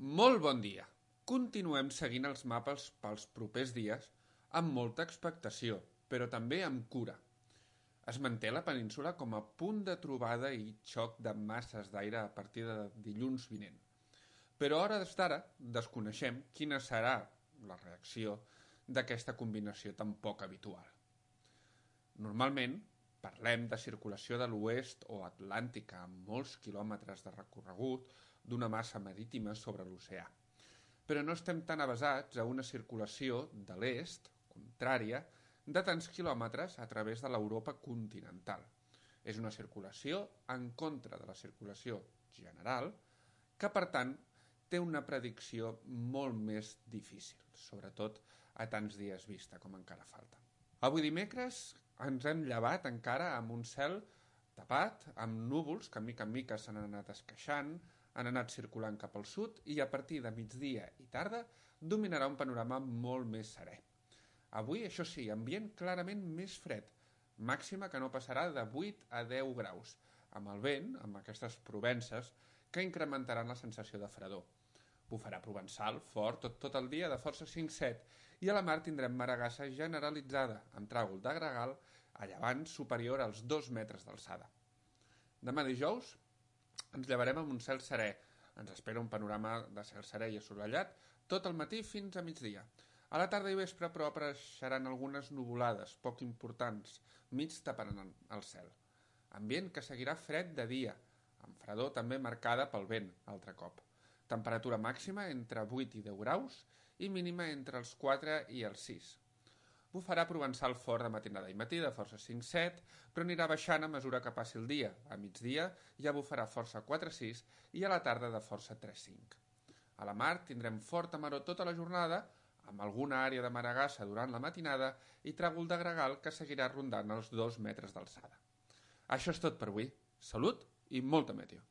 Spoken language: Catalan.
Molt bon dia. Continuem seguint els mapes pels propers dies amb molta expectació, però també amb cura. Es manté la península com a punt de trobada i xoc de masses d'aire a partir de dilluns vinent. Però a hores d'ara desconeixem quina serà la reacció d'aquesta combinació tan poc habitual. Normalment parlem de circulació de l'oest o atlàntica amb molts quilòmetres de recorregut d'una massa marítima sobre l'oceà. Però no estem tan avesats a una circulació de l'est, contrària, de tants quilòmetres a través de l'Europa continental. És una circulació en contra de la circulació general que, per tant, té una predicció molt més difícil, sobretot a tants dies vista com encara falta. Avui dimecres ens hem llevat encara amb un cel tapat, amb núvols que mica en mica s'han anat esqueixant, han anat circulant cap al sud i a partir de migdia i tarda dominarà un panorama molt més serè. Avui, això sí, ambient clarament més fred, màxima que no passarà de 8 a 10 graus, amb el vent, amb aquestes provences, que incrementaran la sensació de fredor. Bufarà provençal, fort, tot el dia, de força 5-7, i a la mar tindrem maregassa generalitzada, amb tràgol de gregal a llevant superior als 2 metres d'alçada. Demà dijous ens llevarem amb un cel serè. Ens espera un panorama de cel serè i assolellat tot el matí fins a migdia. A la tarda i vespre, però, apareixeran algunes nuvolades poc importants, mig taparan el cel. Ambient que seguirà fred de dia, amb fredor també marcada pel vent, altre cop. Temperatura màxima entre 8 i 10 graus i mínima entre els 4 i els 6. Bufarà provençal fort de matinada i matí, de força 5-7, però anirà baixant a mesura que passi el dia. A migdia ja bufarà força 4-6 i a la tarda de força 3-5. A la mar tindrem forta maror tota la jornada, amb alguna àrea de maregassa durant la matinada i tràgol de gregal que seguirà rondant els 2 metres d'alçada. Això és tot per avui. Salut i molta meteo.